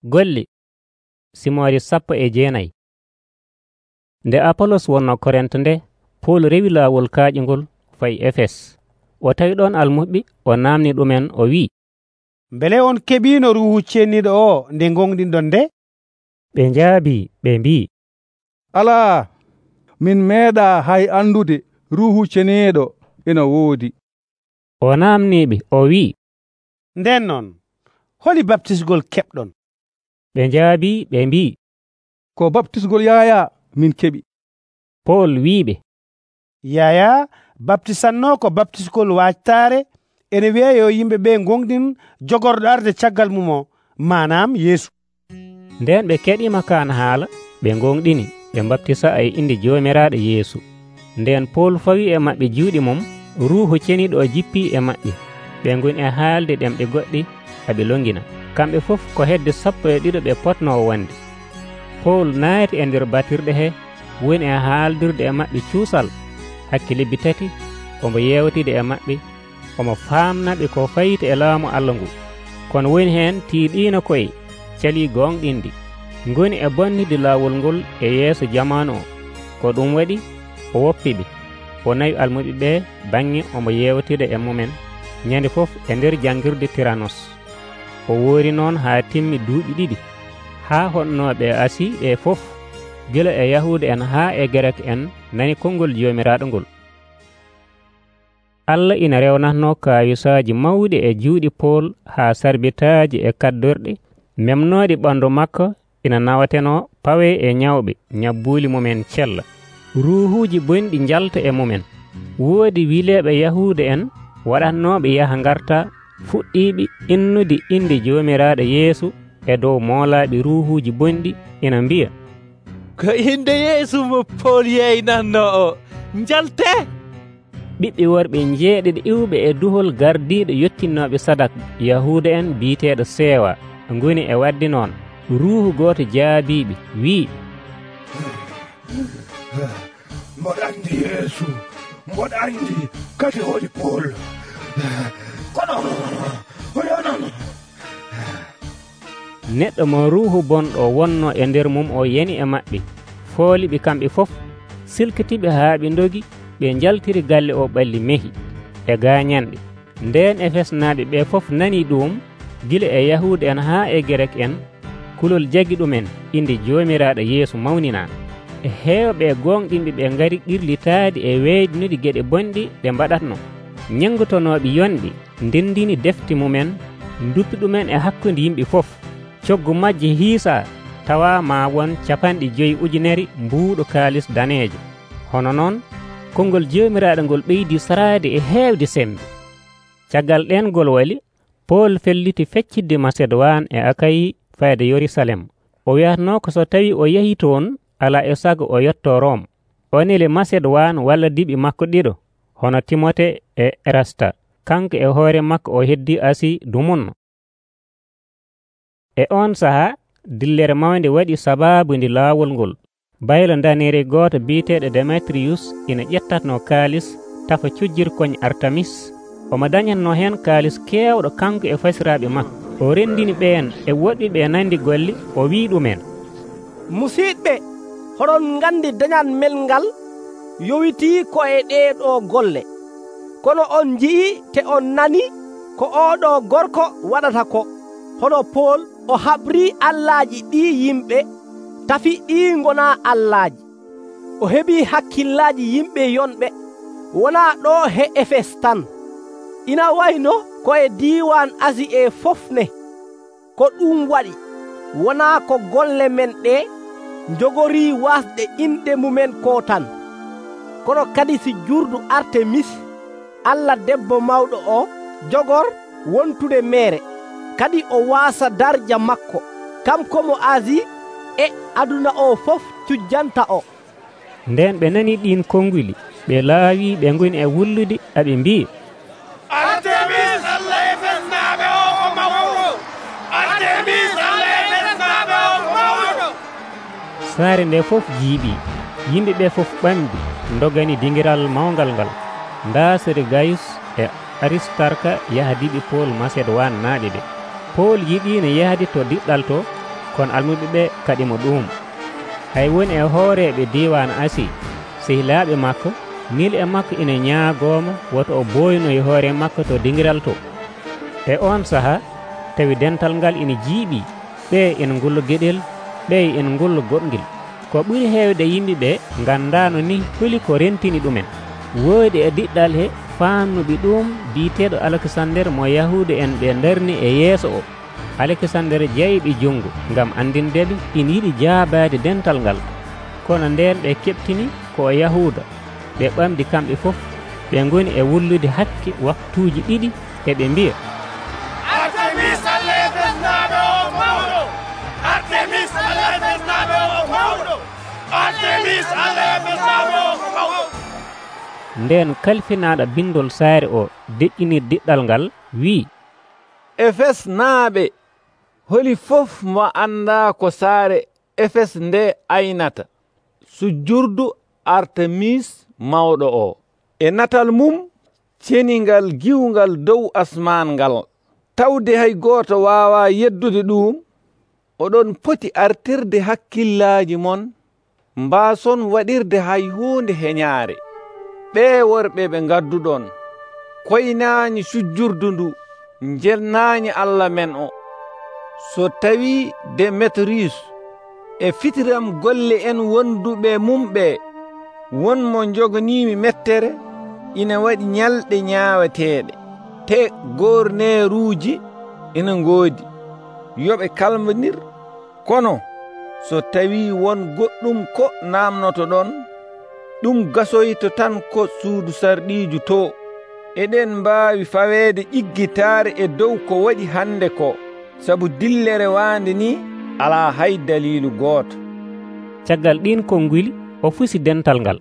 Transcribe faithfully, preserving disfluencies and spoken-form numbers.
Golli simoori sappo e jeenayi. Nde Apolos wonnoo Korint nde, Pool rewi laawol kaaƴungol fayi Efes. O tawi ɗon almuɓɓi, o naamni ɗumen o wi'i, “Mbele on keɓiino Ruuhu Ceniiɗo o nde gonɗinɗon nde?” Ɓe njaabii ɓe mbi'i, alaa, min meeɗaa hay andude Ruuhu Ceniiɗo ina woodi. O naamniiɓe o wi'i, “Nden non, holi baptisgol keɓɗon?” Ɓe njaabii ɓe mbi'i, “Ko baptisgol Yaaya min keɓi.” Pool wi'iɓe, Yaaya baptisannoo ko baptisgol waajtaare, ene wi'a yo yimɓe ɓe gonɗin jogorɗo arde caggal mum o, manam Yeesu. Nden ɓe keɗiima kaan haala, ɓe gonɗini, ɓe baptisa e inde Joomiraaɗo Yeesu. Nden Pool fawi e maɓɓe juuɗe mum, Ruuhu Ceniiɗo o jippii e maɓɓe. Ɓe ngoni e haalde ɗemɗe goɗɗe haɓe longina. Kamɓe fof ko hedde sappo e ɗiɗo ɓe potnoo wonde. Pool naati e nder batirɗe he, woni e haaldirde e maɓɓe cuusal hakke lebbi tati, omo yeewtide e maɓɓe, omo faamnaɓe ko fayita e laamu Allah ngu. Kono woni heen tiiɗiino koye calii gonɗinde, ngoni e bonnide laawol ngol e yeeso jamaanu o. Ko ɗum waɗi o woppiɓe, o nawi almuɓe ɓe baŋnge omo yeewtida e mumen ñande fof e nder janngirde Tiranos. O woori noon haa timmi duuɓi ɗiɗi, haa honnooɓe Asi ɓe fof, gila e Yahuuda en haa e Gerek en, nani konngol Joomiraaɗo ngol. Allah ina rewnatnoo kaayisaaji mawɗi e juuɗe Pool haa sarbitaaji e kaddorɗe memnooɗe ɓanndu makko ina nawatenoo pawee e ñawɓe ñabbuuli mumen cella. Ruuhuuji bonɗi njalta e mumen. Woodi wileeɓe Yahuuda en waɗatnooɓe yaha ngarta fuɗɗiiɓe innude inde Joomiraaɗo Yeesu e dow moolaaɓe ruuhuuji bonɗi, ina mbiya, ko inde Yeesu mo Pool yeynatnoo o, njaltee. Ɓiɓɓe worɓe jeeɗiɗo iwɓe e duhol gardiiɗo yottinnooɓe sadak Yahuuda en biiteeɗo Seewa ngoni e wadde noon. Ruuhu gooto jaabiiɓe wi'i, mboɗo anndi Yeesu, mboɗo anndi kadi holi Pool, kono o yonano. Neɗɗo mo ruuhu bonɗo wonnoo e nder mum o yani e maɓɓe, fooliɓe kamɓe fof, silkitiɓe haa ɓe ndogi, ɓe njaltiri galle o ɓalli mehi e gaañanɗe. Ndeen Efesnaaɓe ɓe fof nanii ɗum, gila e Yahuuda en haa e Gerek en, kulol jagi ɗumen inde Joomiraaɗo Yeesu mawninaa. E heewɓe gonɗinɓe ɓe ngari ɗirlitaade e weeydinude geɗe bonɗe ɗe mbaɗatno. Ñanngutonooɓe yonɗe ndendini defte mumen, duppi ɗumen e hakkunde yimɓe fof. Coggu majje hiisaa tawa ma won capanɗe joyi ujunere mbuuɗo kaalis daneejo. Hono noon konngol Joomiraaɗo ngol ɓeydii saraade e heewde sembe. Caggal ɗengol wali, Pool felliti feccitde Masedowaan e Akayi fayde Yerusalem. O wiyatnoo ko so tawi o yahi toon, alaa e sago o yottoo Rom. O neli Masedowaan walla diɓe makko ɗiɗo, hono Timote e Erasta. Kanko e hoore makko o heddii Asi dumunno. E on sahaa dillere mawnde waɗi sabaabude laawol ngol. Baylo danere gooto biiteeɗo Demetriyus ina ƴettatnoo kaalis tafa cujjirkoñ Artamis. Omo dañatnoo heen kaalis keewɗo kanko e fasiraaɓe makko. O renndini ɓeen e woɗɓe nandi golle, o wii ɗumen, musiiɓɓe, hoɗon nganndi dañal mel ngal yowitii ko e ɗeeɗoo golle. Kono on nji'i te on nani ko ooɗoo gorko waɗata ko. Hono Pool o haɓrii allaaji ɗii yimɓe, tafi ɗii ngonaa allaaji. O heɓii hakkillaaji yimɓe yonɓe, wonaa ɗoo he Efes tan. Ina wayno ko e diiwaan Asi e fofne. Ko ɗum waɗi, wonaa ko golle men ɗee njogorii waasde inɗe mumen koo tan, kono kadi si jurdu Artemis, Allah debbo mawɗo o, jogor wontude meere, kadi o waasa darja makko, kanko mo Asi e aduna o fof cujjanta o. Nden ɓe nani ɗin konnguli, ɓe laawi ɓe ngoni e wullude, aɓe mbi'i, Artemis Allah Efesnaaɓe o ko mawɗo! Artemis Allah Efesnaaɓe o ko mawɗo! Saare nde fof jiiɓii, yimɓe ɓe fof ɓamdi, ndogani dingiral mawngal ngal. Ndaasere Gayus e Aristarka yahdiɓe Pool Masedowaan naaɓe ɓe. Pool yiɗiino yahde to diɗɗal to, kono almuɓe ɓe kaɗimo ɗum. Hay woni e hooreɓe diwan Asi sehilaaɓe makko nil e makko ina ñaagomo woto o boynoy hoore makko to dingiral to. E on saha tawi dental ngal ina jiiɓi, ɓe ina ngullo gueɗel, ɓe ina ngullo goɗgel. Ko ɓuri heewde yimɓe ɓe gandano ni holi ko rentini ɗumen. Woodi e diɗɗal he fannuɓe ɗum biiteɗo Alexander mo yahude en ɓe darni e yeeso o. Alexander jeyɓi jungo ngam andindeɓe ina yiɗi jaabade dental ngal, kono nden ɓe keɓtini ko Yahuda. Ɓe ɓamdi kamɓe fof, ɓe goni e wullude hakke waktuuji ɗiɗi eɓe mbiya, Artemis Allah Efesnaɓe o mawɗo! Artemis Allah Efesnaɓe o mawɗo! Artemis Allah Efesnaɓe o mawɗo! nden kalfinaɗo bindol saare o deƴƴinir diɗɗal ngal wi, Efes naaɓe, holi fof mo anda ko saare Efes nde aynata sujjurdu Artemis mawɗo o e natal mum ceningal giwngal dow asman ngal. Tawde hay gooto waawa yeddude ɗum, oɗon poti artirde hakkillaaji mon, mbaason waɗirde hay huunde heñaare. Ɓee worɓe ɓe ngadduɗon koynaani sujjurdu ndu, njelnaani Allah men o. So tawi Demetrius e fitiram golle en wonduɓe mum ɓe won mo joganiimi mettere, ina waɗi ñalɗe ñaaweteeɗe, te gorneeruuji ina ngoodi, yoɓe kalmanir. Kono so tawi won goɗɗum ko namnoto ɗon, ɗum gasoyto tan ko suudu sarɗiiju to. Eɗen mbaawi faweede ƴiggitaare e dow ko waɗi hande ko, sabu dillere waande ni alaa hay daliilu gooto. Caggal ɗin konnguli o fusi dental ngal.